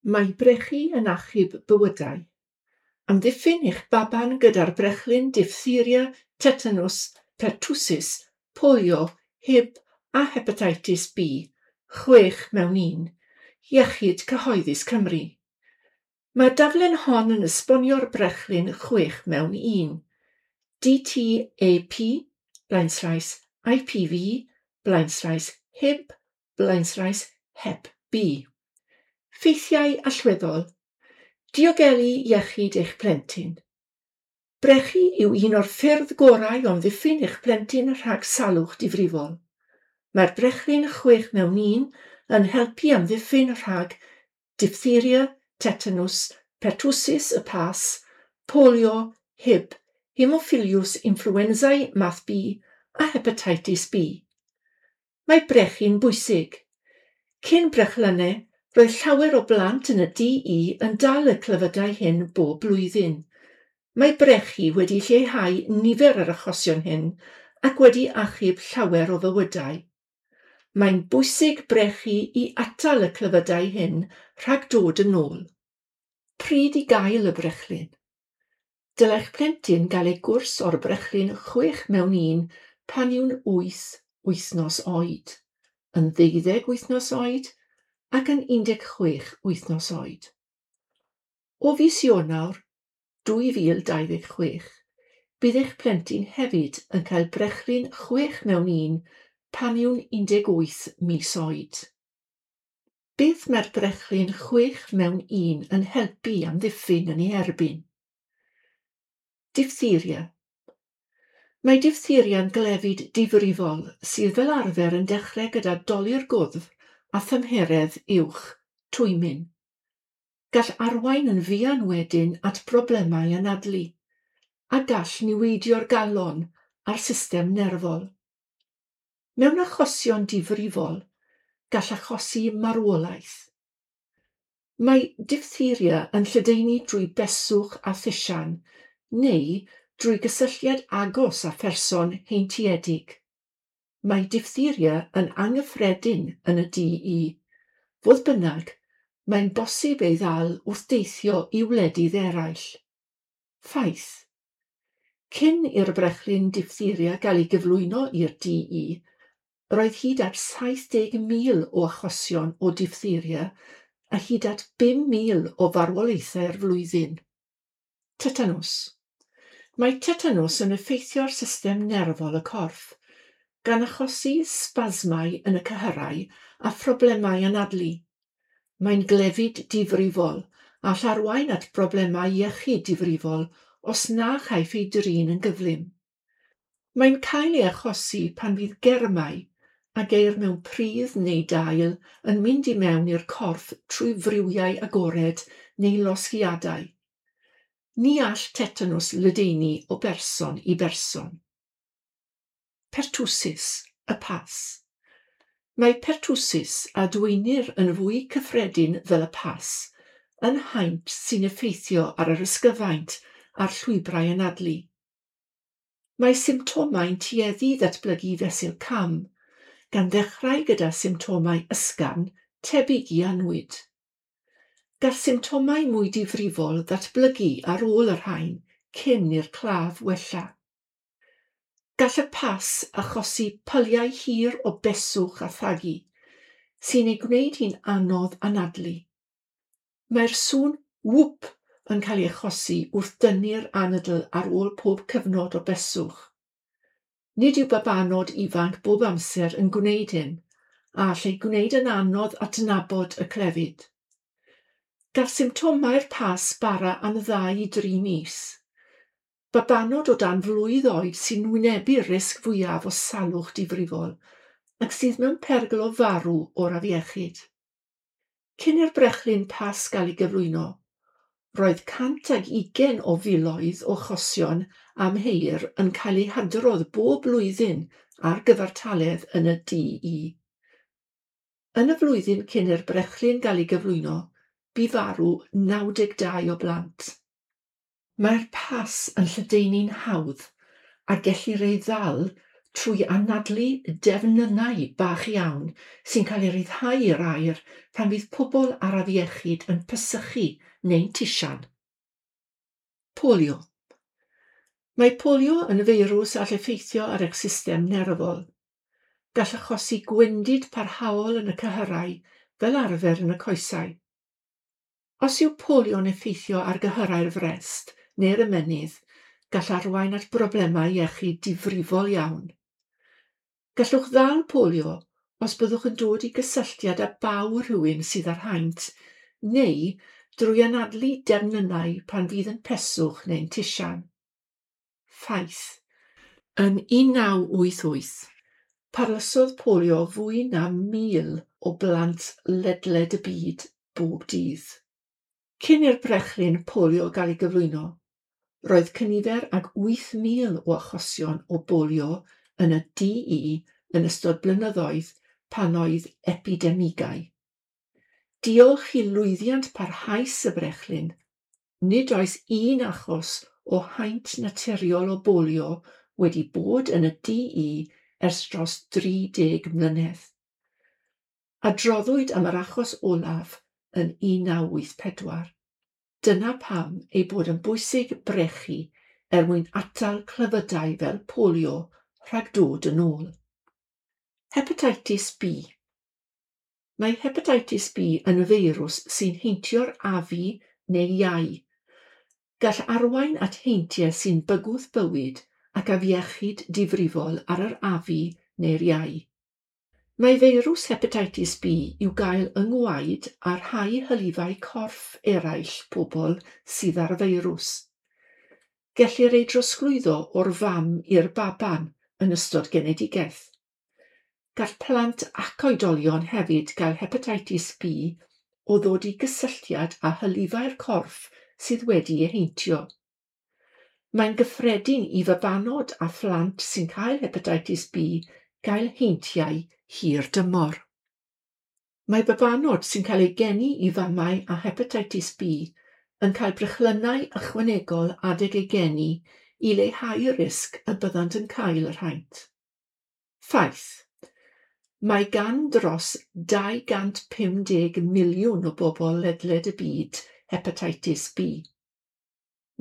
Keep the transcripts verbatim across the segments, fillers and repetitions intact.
Mae brechu yn achub bywydau. Amddiffyn eich baban gyda'r brechlyn diphtheria, tetanws, pertussis, polio, Hib a hepatitis B, chwech mewn un, Iechyd Cyhoeddus Cymru. Mae'r daflen hon yn esbonio'r brechlyn chwech mewn un. D T A P, blaenslaes I P V, blaenslaes Hib, blaenslaes Hep B. Ffeithiau allweddol. Diogelu iechyd eich plentyn. Brechu yw un o'r ffyrdd gorau o amddiffyn eich plentyn rhag salwch difrifol. Mae'r brechlyn chwech mewn un yn helpu amddiffyn rhag diphtheria, tetanws, pertussis y pas, polio, Hib, Haemophilus influenzae math B a hepatitis B. Mae brechu'n bwysig. Cyn brechlynnau, roedd llawer o blant yn y D E yn dal y clefydau hyn bob blwyddyn. Mae brechu wedi lleihau nifer yr achosion hyn ac wedi achub llawer o fywydau. Mae'n bwysig brechu i atal y clefydau hyn rhag dod yn ôl. Pryd i gael y brechlyn? Dylai'ch plentyn gael ei gwrs o'r brechlyn chwech mewn un pan yw'n wyth wythnos oed, yn ddeuddeg wythnos oed ac yn un deg chwech wythnos oed. O fis Ionawr dwy fil dau ddeg chwech, bydd eich plentyn hefyd yn cael brechlyn chwech mewn un pan yw'n un deg wyth mis oed. Beth mae'r brechlyn chwech mewn un yn helpu amddiffyn yn ei erbyn? Diphtheria. Mae diphtheria'n glefyd difrifol sydd fel arfer yn dechrau gyda dolur gwddf a thymheredd uwch, twymyn. Gall arwain yn fuan wedyn at broblemau anadlu, a gall niweidio'r galon a'r system nerfol. Mewn achosion difrifol, gall achosi marwolaeth. Mae diphtheria yn lledaenu drwy beswch a thisian, neu drwy gysylltiad agos â pherson heintiedig. Mae diphtheria yn anghyffredin yn y D E. Fodd bynnag, mae'n bosib ei ddal wrth deithio i wledydd eraill. Ffaith. Cyn i'r brechlyn diphtheria gael ei gyflwyno i'r D E, roedd hyd at saith deg mil o achosion o diphtheria a hyd at bum mil o farwolaethau'r flwyddyn. Tetanws. Mae tetanws yn effeithio'r system nerfol y corff, gan achosi sbasmau yn y cyhyrau a phroblemau anadlu. Mae'n glefyd difrifol a all arwain at broblemau iechyd difrifol os na chaiff ei drin yn gyflym. Mae'n cael ei achosi pan fydd germau a geir mewn pridd neu dail yn mynd i mewn i'r corff trwy friwiau agored neu losgiadau. Ni all tetanws ledaenu o berson i berson. Pertussis, y pas. Mae pertussis, a dweinir yn fwy cyffredin fel y pas, yn haint sy'n effeithio ar yr ysgyfaint a'r llwybrau anadlu. Mae symptomau'n tueddu ddatblygu fesul cam, gan ddechrau gyda symptomau ysgafn tebyg i annwyd. Gall symptomau mwy difrifol ddatblygu ar ôl y rhain cyn i'r claf wella. Gall y pas achosi pyliau hir o beswch a thagu, sy'n ei gwneud hi'n anodd anadlu. Mae'r sŵn whoop yn cael ei achosi wrth dynnu'r anadl ar ôl pob cyfnod o beswch. Nid yw babanod ifanc bob amser yn gwneud hyn, a all ei gwneud yn anodd adnabod y clefyd. Gall symptomau'r pas bara am ddau i dri mis. Babanod o dan flwydd oed sy'n wynebu'r risg fwyaf o salwch difrifol ac sydd mewn perygl o farw o'r afiechyd. Cyn i'r brechlyn pas gael ei gyflwyno, roedd cant ag ugain o filoedd o achosion amheuir yn cael eu hadrodd bob blwyddyn ar gyfartaledd yn y D E. Yn y flwyddyn cyn i'r brechlyn gael ei gyflwyno, bu farw naw deg dau o blant. Mae'r pas yn lledaenu'n hawdd a gellir ei ddal trwy anadlu defnynnau bach iawn sy'n cael eu rhyddhau i'r aer pan fydd pobl ar afiechyd yn pesychu neu'n tisian. Polio. Mae polio yn feirws all effeithio ar eich system nerfol. Gall achosi gwendid parhaol yn y cyhyrau, fel arfer yn y coesau. Os yw polio'n effeithio ar gyhyrau'r frest neu'r ymennydd, gall arwain at broblemau iechyd difrifol iawn. Gallwch ddal polio os byddwch yn dod i gysylltiad â baw rhywun sydd ar haint, neu drwy anadlu defnynnau pan fydd yn peswch neu'n tisian. Ffaith. Yn un naw wyth wyth, parlysodd polio fwy na mil o blant ledled y byd bob dydd. Cyn i'r brechlyn polio gael ei gyflwyno, roedd cynifer ag wyth mil o achosion o bolio yn y D E yn ystod blynyddoedd pan oedd epidemigau. Diolch i lwyddiant parhaus y brechlyn, nid oes un achos o haint naturiol o bolio wedi bod yn y D E ers dros dri deg mlynedd. Adroddwyd am yr achos olaf yn un naw wyth pedwar. Dyna pam ei bod yn bwysig brechu er mwyn atal clefydau fel polio rhag dod yn ôl. Hepatitis B. Mae hepatitis B yn feirws sy'n heintio'r afu neu iau. Gall arwain at heintiau sy'n bygwth bywyd ac afiechyd difrifol ar yr afu neu'r iau. Mae feirws hepatitis B i'w gael yng ngwaed a rhai hylifau corff eraill pobl sydd ar y feirws. Gellir ei drosglwyddo o'r fam i'r baban yn ystod genedigaeth. Gall plant ac oedolion hefyd gael hepatitis B o ddod i gysylltiad â hylifau'r corff sydd wedi ei heintio. Mae'n gyffredin i fabanod a phlant sy'n cael hepatitis B gael heintiau hir dymor. Mae babanod sy'n cael eu geni i famau â hepatitis B yn cael brechlynnau ychwanegol adeg eu geni i leihau'r risg y byddant yn cael yr haint. Ffaith. Mae gan dros dau gant pum deg miliwn o bobl ledled y byd hepatitis B.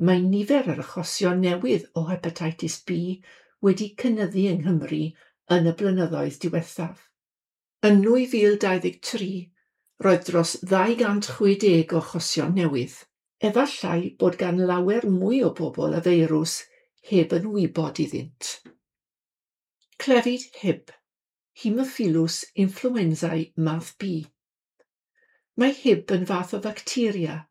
Mae nifer yr achosion newydd o hepatitis B wedi cynyddu yng Nghymru yn y blynyddoedd diwethaf. Yn nwy fil dau ddeg tri, roedd dros ddau gant chwe deg o achosion newydd. Efallai bod gan lawer mwy o bobl y feirws heb yn wybod iddynt. Clefyd Hib, Haemophilus influenzae math B. Mae Hib yn fath o facteria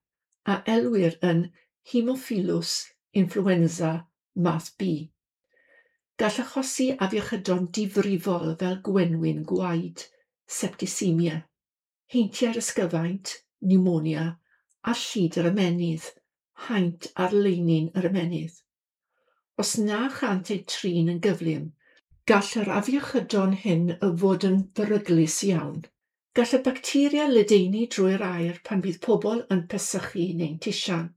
a elwir yn Haemophilus influenza math B. Gall achosi afiechydon difrifol fel gwenwyn gwaed, septicemia, heintiau'r ysgyfaint, pneumonia a llid yr ymennydd, haint ar leinin yr ymennydd. Os na chant eu trin yn gyflym, gall yr afiechydon hyn fod yn beryglus iawn. Gall y bacteria ledaenu drwy'r aer pan fydd pobl yn pesychu neu'n tisian.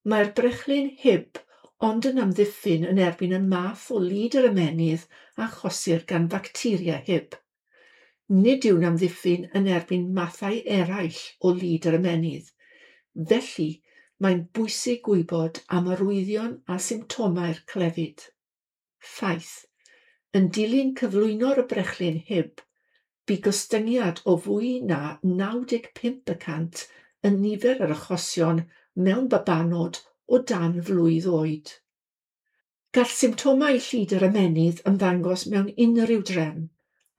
Mae'r brechlyn Hib ond yn amddiffyn yn erbyn y math o lid yr ymennydd a achosir gan facteria Hib. Nid yw'n amddiffyn yn erbyn mathau eraill o lid yr ymennydd. Felly, mae'n bwysig gwybod am arwyddion a symptomau'r clefyd. Ffaith. Yn dilyn cyflwyno'r brechlyn Hib, bu gostyngiad o fwy na naw deg pump y cant yn nifer yr achosion mewn babanod o dan flwydd oed. Gall symptomau llid yr ymennydd ymddangos mewn unrhyw drefn,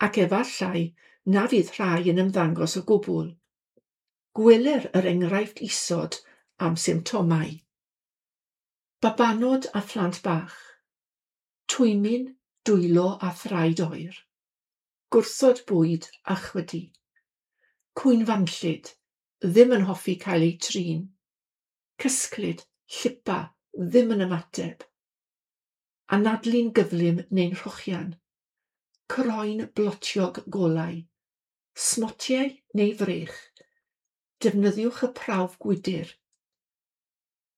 ac efallai na fydd rhai yn ymddangos o gwbl. Gweler yr enghraifft isod am symptomau. Babanod a phlant bach. Twymyn, dwylo a thraed oer. Gwrthod bwyd a chwydu. Cwynfanllyd, ddim yn hoffi cael eu trin. Cysglyd, llipa, ddim yn ymateb. Anadlu'n gyflym neu'n rhochian. Croen blotiog golau. Smotiau neu frech. Defnyddiwch y prawf gwydr.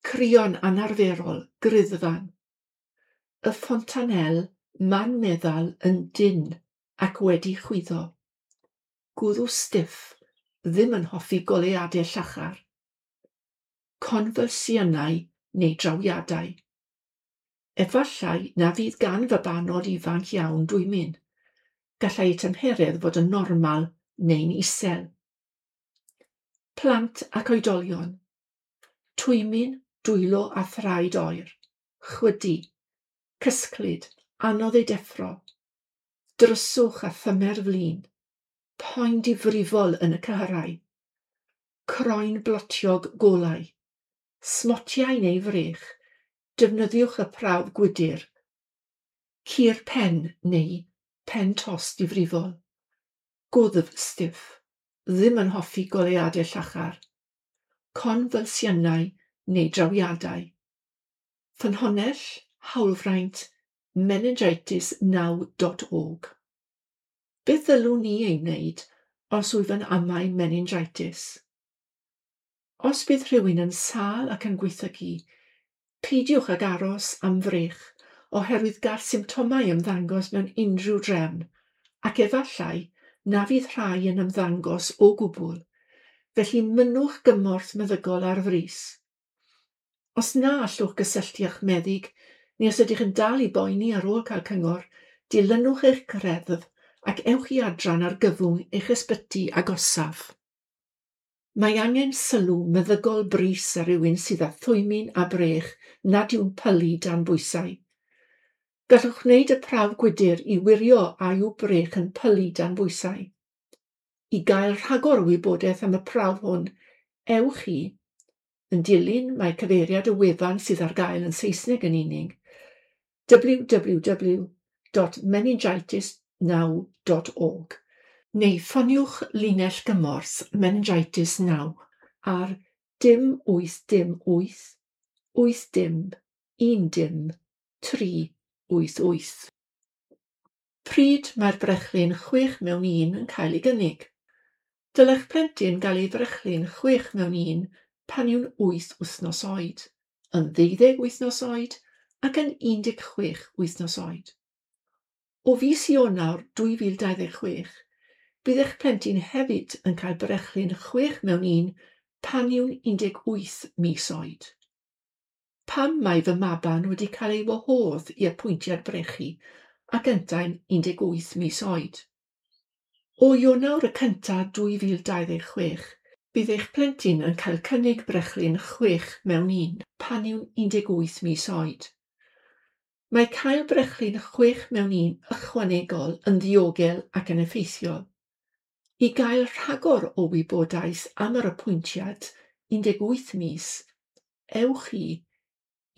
Crïo'n anarferol, griddfan. Y fontanel Man meddal yn dynn ac wedi chwyddo. Gwddw stiff, ddim yn hoffi goleuadau llachar. Confylsiynau neu drawiadau. Efallai na fydd gan fabanod ifanc iawn dwymyn. Gallai eu tymheredd fod yn normal neu'n isel. Plant ac oedolion. Twymyn, dwylo a thraed oer. Chwydu. Cysglyd, anodd ei deffro. Dryswch a thymer flin. Poen difrifol yn y cyhyrau. Croen blotiog golau. Smotiau neu frech. Defnyddiwch y prawf gwydr. Cur pen neu pen tost difrifol. Gwddf stiff. Ddim yn hoffi goleuadau llachar. Confylsiynau neu drawiadau. Ffynhonnell, hawlfraint, meningitis now dot org. Beth ddylwn ni ei wneud os wyf yn amau meningitis? Os bydd rhywun yn sâl ac yn gwaethygu, peidiwch ag aros am frech oherwydd gall symptomau ymddangos mewn unrhyw drefn, ac efallai na fydd rhai yn ymddangos o gwbl, felly mynnwch gymorth meddygol ar frys. Os na allwch gysylltu â'ch meddyg, neu os ydych yn dal i boeni ar ôl cael cyngor, dilynwch eich greddf ac ewch i adran argyfwng eich ysbyty agosaf. Mae angen sylw meddygol brys ar rywun sydd â thwymyn a brech nad yw'n pylu dan bwysau. Gallwch wneud y prawf gwydr i wirio a yw brech yn pylu dan bwysau. I gael rhagor o wybodaeth am y prawf hwn, ewch i, yn dilyn mae cyfeiriad y wefan sydd ar gael yn Saesneg yn unig, w w w dot meningitis now dot org, neu ffoniwch linell gymorth Meningitis Now ar dim wyth dim wyth wyth dim un dim tri wyth wyth. Pryd mae'r brechlyn chwech mewn un yn cael ei gynnig? Dylai'ch plentyn gael ei frechlyn chwech mewn un pan yw'n wyth wythnos oed, yn ddeuddeg wythnos oed ac yn un deg chwech wythnos oed. O fis Ionawr dwy fil dau ddeg chwech, bydd eich plentyn hefyd yn cael brechlyn chwech mewn un pan yw'n un deg wyth mis oed. Pam mae fy maban wedi cael ei wahodd i apwyntiad brechu ac yntau'n un deg wyth mis oed? O Ionawr y cyntaf dwy fil dau ddeg chwech, bydd eich plentyn yn cael cynnig brechlyn chwech mewn un pan yw'n un deg wyth mis oed. Mae cael brechlyn chwech mewn un ychwanegol yn ddiogel ac yn effeithiol. I gael rhagor o wybodaeth am yr apwyntiad un deg wyth mis, ewch i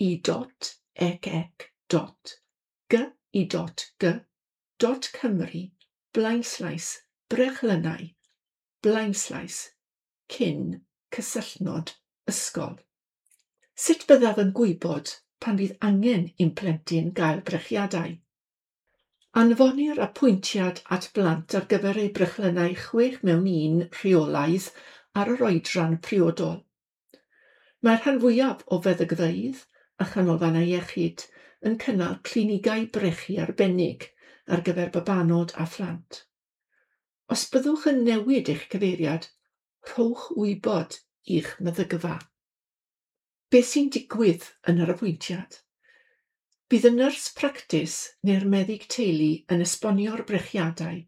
i dot ec ec dot g i dot g dot Cymru blaenslaes brechlynnau blaenslaes cyn cysylltnod ysgol. Sut byddaf yn gwybod pan fydd angen i'm plentyn gael brechiadau? Anfonir apwyntiad at blant ar gyfer eu brechlynnau chwech mewn un rheolaidd ar yr oedran priodol. Mae'r rhan fwyaf o feddygfeydd a chanolfannau iechyd yn cynnal clinigau brechu arbennig ar gyfer babanod a phlant. Os byddwch yn newid eich cyfeiriad, rhowch wybod i'ch meddygfa. Beth sy'n digwydd yn yr apwyntiad? Bydd y nyrs practis neu'r meddyg teulu yn esbonio'r brechiadau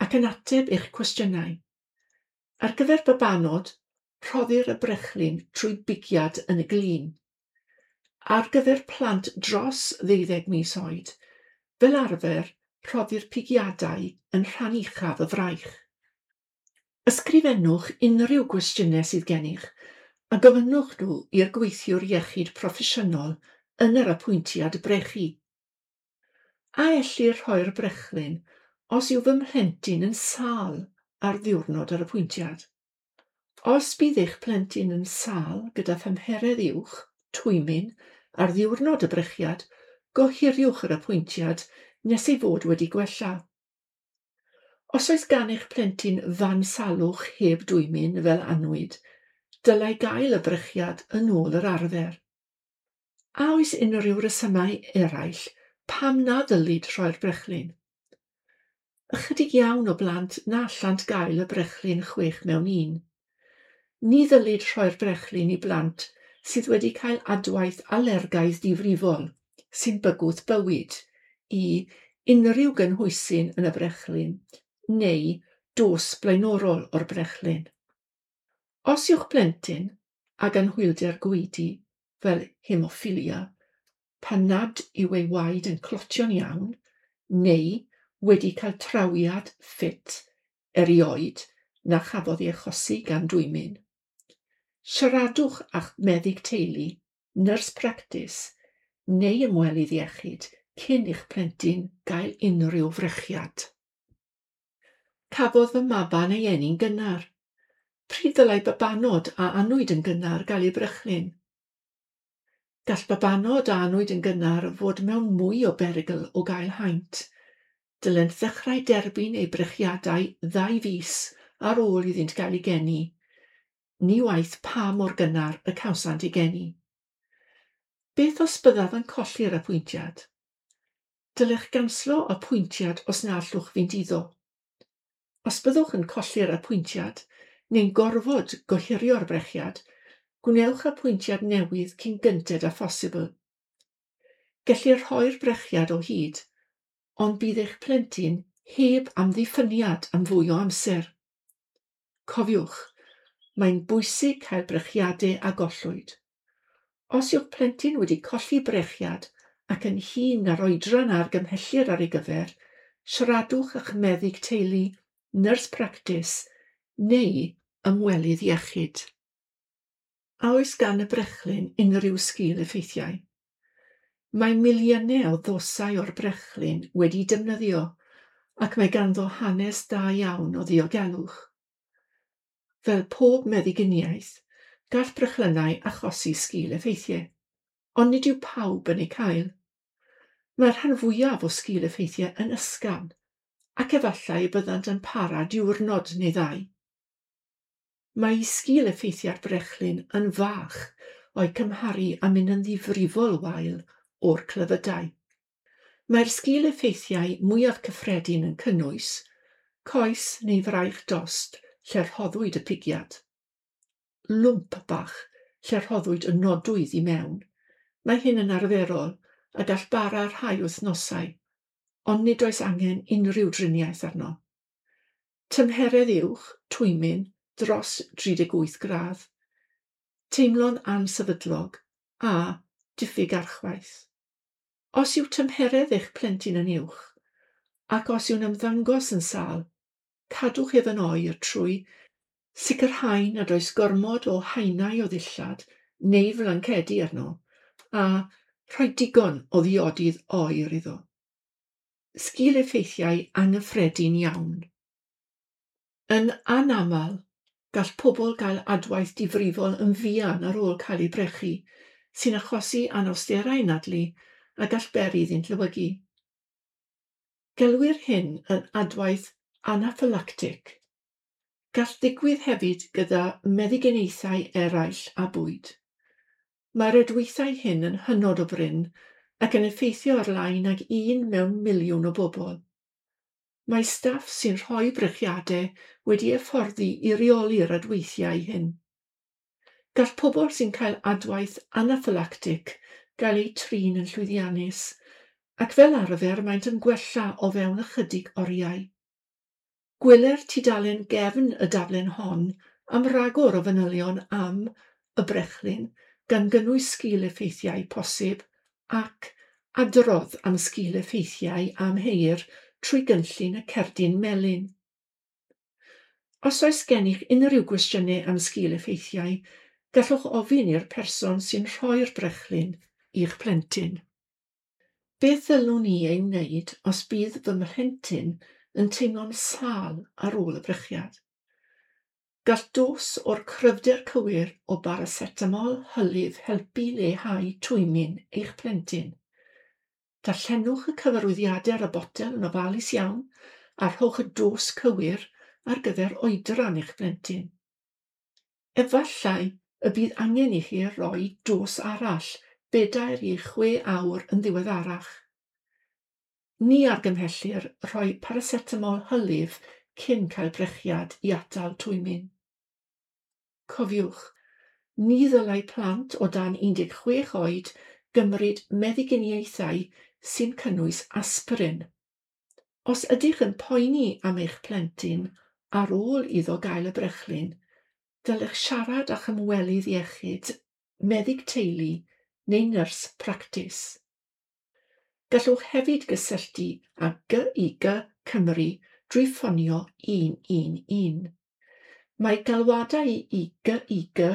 ac yn ateb eich cwestiynau. Ar gyfer babanod, rhoddir y brechlyn trwy bigiad yn y glin. Ar gyfer plant dros ddeuddeg mis oed, fel arfer rhoddir pigiadau yn rhan uchaf y fraich. Ysgrifennwch unrhyw gwestiynau sydd gennych a gofynnwch nhw i'r gweithiwr iechyd proffesiynol yn yr apwyntiad brechu. A ellir rhoi'r brechlyn os yw fy mhlentyn yn sâl ar ddiwrnod yr apwyntiad? Os bydd eich plentyn yn sâl gyda thymheredd uwch, twymyn, ar ddiwrnod y brechiad, gohiriwch yr apwyntiad nes ei fod wedi gwella. Os oes gan eich plentyn fan salwch heb dwymyn fel annwyd, dylai gael y brechiad yn ôl yr arfer. A oes unrhyw resymau eraill Pam na ddylid rhoi'r brechlyn? Ychydig iawn o blant na allant gael y brechlyn chwech mewn un. Ni ddylid rhoi'r brechlyn i blant sydd wedi cael adwaith alergaidd difrifol sy'n bygwth bywyd i unrhyw gynhwysyn yn y brechlyn neu dos blaenorol o'r brechlyn. Os yw'ch plentyn ag anhwylder gwaedu fel hemoffilia, pan nad yw ei waed yn clotio'n iawn, neu wedi cael trawiad ffit erioed na chafodd ei achosi gan dwymyn, siaradwch â'ch meddyg teulu, nyrs practis neu ymwelydd iechyd cyn i'ch plentyn gael unrhyw frechiad. Cafodd fy maban ei eni'n gynnar. Pryd ddylai babanod a anwyd yn gynnar gael eu brechlyn? Gall babanod a anwyd yn gynnar fod mewn mwy o berygl o gael haint. Dylent ddechrau derbyn eu brechiadau ddau fis ar ôl iddynt gael eu geni, ni waeth pa mor gynnar y cawsant eu geni. Beth os byddaf yn colli'r apwyntiad? Dylech ganslo apwyntiad os na allwch fynd iddo. Os byddwch yn colli'r apwyntiad neu'n gorfod gohirio'r brechiad, gwnewch apwyntiad newydd cyn gynted â phosibl. Gellir rhoi'r brechiad o hyd, ond bydd eich plentyn heb amddiffyniad am fwy o amser. Cofiwch, mae'n bwysig cael brechiadau a gollwyd. Os yw'ch plentyn wedi colli brechiad ac yn hŷn na'r oedran a argymhellir ar ei gyfer, siaradwch â'ch meddyg teulu, nyrs practis neu ymwelydd iechyd. A oes gan y brechlyn unrhyw sgil effeithiau? Mae miliynau o ddosau o'r brechlyn wedi defnyddio ac mae ganddo hanes da iawn o ddiogelwch. Fel pob meddyginiaeth, gall brechlynnau achosi sgil effeithiau, ond nid yw pawb yn eu cael. Mae'r rhan fwyaf o sgil effeithiau yn ysgafn ac efallai y byddant yn para diwrnod neu ddau. Mae sgil effeithiau'r brechlyn yn fach o'i cymharu â mynd yn ddifrifol wael o'r clefydau. Mae'r sgil effeithiau mwyaf cyffredin yn cynnwys coes neu fraich dost lle rhoddwyd y pigiad, lwmp bach lle rhoddwyd y nodwydd i mewn. Mae hyn yn arferol a gall bara rhai wythnosau, ond nid oes angen unrhyw driniaeth arno. Tymheredd uwch, twymyn, dros dri deg wyth gradd, teimlo'n ansefydlog a diffyg archwaith. Os yw tymheredd eich plentyn yn uwch, ac os yw'n ymddangos yn sâl, cadwch ef yn oer trwy sicrhau nad oes gormod o haenau o ddillad neu flancedi arno, a rhoi digon o ddiodydd oer iddo. Sgil effeithiau anghyffredin iawn. Yn anaml, gall pobl gael adwaith difrifol yn fuan ar ôl cael eu brechu, sy'n achosi anawsterau anadlu a gall beri iddynt lewygu. Gelwir hyn yn adwaith anaffylactig. Gall ddigwydd hefyd gyda meddyginiaethau eraill a bwyd. Mae'r adweithiau hyn yn hynod o brin ac yn effeithio ar lai nag un mewn miliwn o bobl. Mae staff sy'n rhoi brechiadau wedi hyfforddi i reoli'r adweithiau hyn. Gall pobl sy'n cael adwaith anaffylactig gael eu trin yn llwyddiannus, ac fel arfer maent yn gwella o fewn ychydig oriau. Gweler tudalen gefn y daflen hon am ragor o fanylion am y brechlyn, gan gynnwys sgil effeithiau posib ac adrodd am sgil effeithiau amheir trwy gynllun y cerdyn melyn. Os oes gennych unrhyw gwestiynau am sgil effeithiau, gallwch ofyn i'r person sy'n rhoi'r brechlyn i'ch plentyn. Beth ddylwn i ei wneud os bydd fy mhlentyn yn teimlo'n sâl ar ôl y brechiad? Gall dos o'r cryfder cywir o baracetamol hylif helpu leihau twymyn eich plentyn. Darllenwch y cyfarwyddiadau ar y botel yn ofalus iawn a rhowch y dos cywir ar gyfer oedran eich plentyn. Efallai y bydd angen i chi roi dos arall bedair i chwe awr yn ddiweddarach. Ni argymhellir rhoi paracetamol hylif cyn cael brechiad i atal twymyn. Cofiwch, ni ddylai plant o dan un deg chwech oed gymryd meddyginiaethau sy'n cynnwys aspirin. Os ydych yn poeni am eich plentyn ar ôl iddo gael y brechlyn, dylech siarad â'ch ymwelydd iechyd, meddyg teulu neu nyrs practis. Gallwch hefyd gysylltu â G I G Cymru drwy ffonio un un un. Mae galwadau i G I G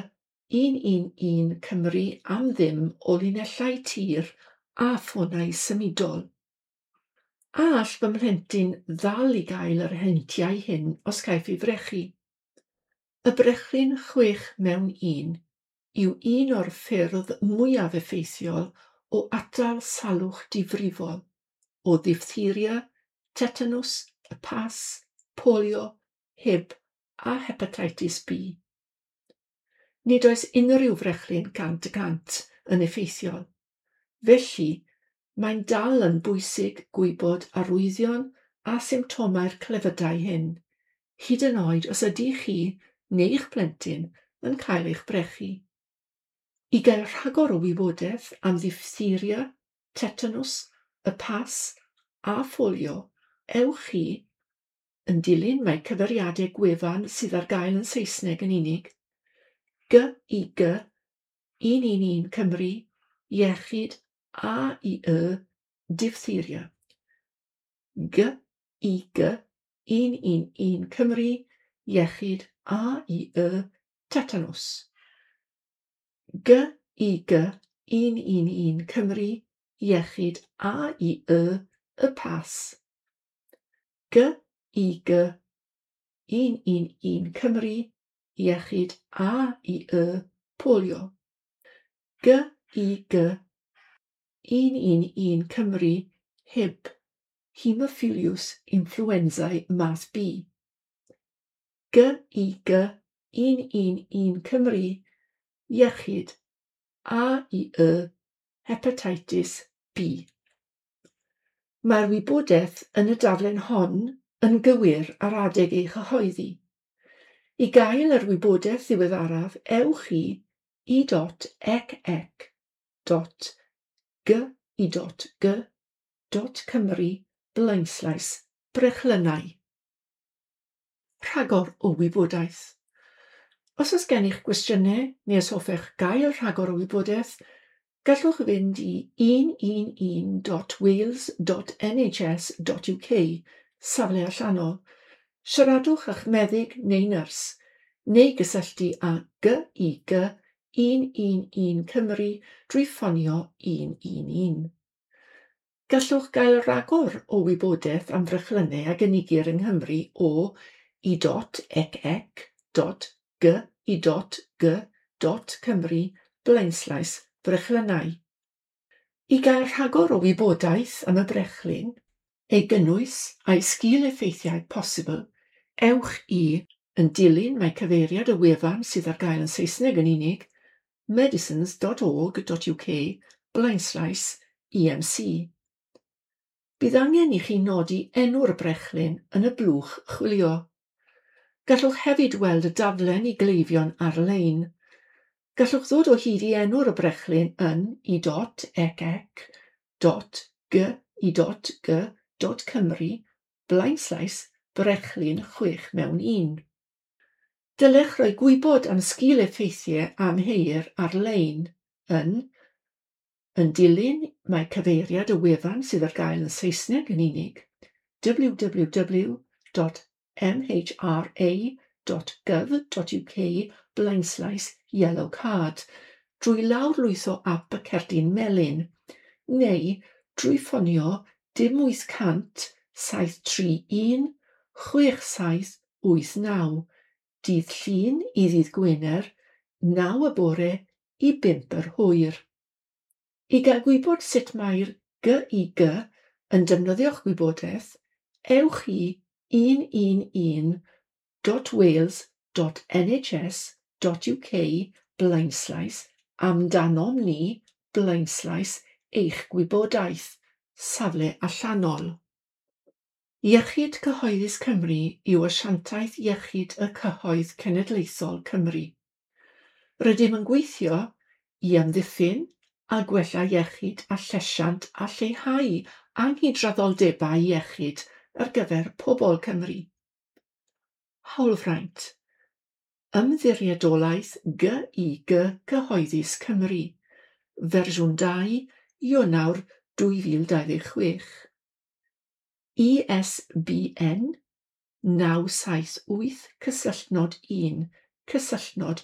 un un un Cymru am ddim o linellau tir a ffonau symudol. A all fy mhlentyn ddal i gael yr heintiau hyn os caiff ei frechu? Y brechlyn chwech mewn un yw un o'r ffyrdd mwyaf effeithiol o atal salwch difrifol, o ddiphtheria, tetanws, y pas, polio, Hib a hepatitis B. Nid oes unrhyw frechlyn cant y cant yn effeithiol. Felly, mae'n dal yn bwysig gwybod arwyddion a symptomau'r clefydau hyn, hyd yn oed os ydych chi neu'ch plentyn yn cael eich brechu. I gael rhagor o wybodaeth am ddiphtheria, tetanws, y pas a pholio, ewch i, yn dilyn mae cyfeiriadau gwefan sydd ar gael yn Saesneg yn unig, G I G un un un Cymru, Iechyd A I Y, Diphtheria. G I G un un un Cymru, Iechyd A I Y, Tetanws. G I G un un un Cymru, Iechyd A I Y, y pas. G I G un un un Cymru, Iechyd A I Y, Polio. G I G un un un Cymru, Hib, Haemophilus influenzae math B. G I G un un un Cymru, Iechyd A I Y, Hepatitis B. Mae'r wybodaeth yn y daflen hon yn gywir ar adeg ei chyhoeddi. I gael yr wybodaeth ddiweddaraf, ewch i i dot ec ec dot g i dot g dot Cymru blaenslaes brechlynnau. Rhagor o wybodaeth. Os oes gennych gwestiynau neu os hoffech gael rhagor o wybodaeth, gallwch fynd i un un un dot wales dot N H S dot U K, safle allanol, siaradwch â'ch meddyg neu nyrs, neu gysylltu â G I G un un un Cymru drwy ffonio un un un. Gallwch gael rhagor o wybodaeth am frechlynnau a gynigir yng Nghymru o i dot ec ec dot g i dot g dot Cymru blaenslaes brechlynnau. I gael rhagor o wybodaeth am y brechlyn, ei gynnwys a'i sgil-effeithiau posibl, ewch i, yn dilyn mae cyfeiriad y wefan sydd ar gael yn Saesneg yn unig, medicines dot org dot U K blaenslaes E M C. Bydd angen i chi nodi enw'r brechlyn yn y blwch chwilio. Gallwch hefyd weld y daflen i gleifion ar-lein. Gallwch ddod o hyd i enw'r y brechlyn yn i dot ec ec dot g i dot g dot Cymru blaenslaes brechlyn chwech mewn un. Dylech roi gwybod am sgil-effeithiau amheuir ar-lein yn Yn dilyn mae cyfeiriad y wefan sydd ar gael yn Saesneg yn unig, w w w dot m h r a dot gov dot u k blaenslaes yellow card drwy lawrlwytho ap y cerdyn melyn neu drwy ffonio dim wyth cant saith tri un chwech saith wyth naw dydd Llun i ddydd Gwener naw y bore i bump yr hwyr. I gael gwybod sut mae'r G I G yn defnyddio'ch gwybodaeth, ewch i un un un dot wales dot N H S dot U K blaenslaes amdanom ni blaenslaes eich gwybodaeth Safle allanol. Iechyd Cyhoeddus Cymru yw asiantaeth iechyd y cyhoedd cenedlaethol Cymru. Rydym yn gweithio i amddiffyn a gwella iechyd a llesiant a lleihau anghydraddoldebau iechyd ar gyfer pobl Cymru. Hawlfraint. Ymddiriedolaeth G I G Cyhoeddus Cymru. Fersiwn dau, Ionawr dwy fil dau ddeg chwech. I S B N naw saith wyth cysylltnod un cysylltnod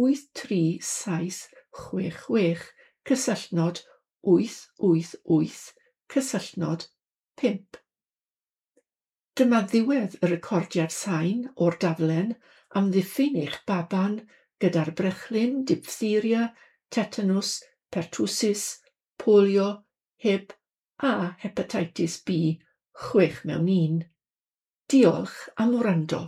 wyth tri saith chwech chwech cysylltnod wyth wyth wyth cysylltnod pump. Dyma ddiwedd y recordiad sain o'r daflen amddiffyn eich baban gyda'r brechlyn diphtheria, tetanws, pertussis, polio, Hib a hepatitis B chwech mewn un. Diolch am wrando.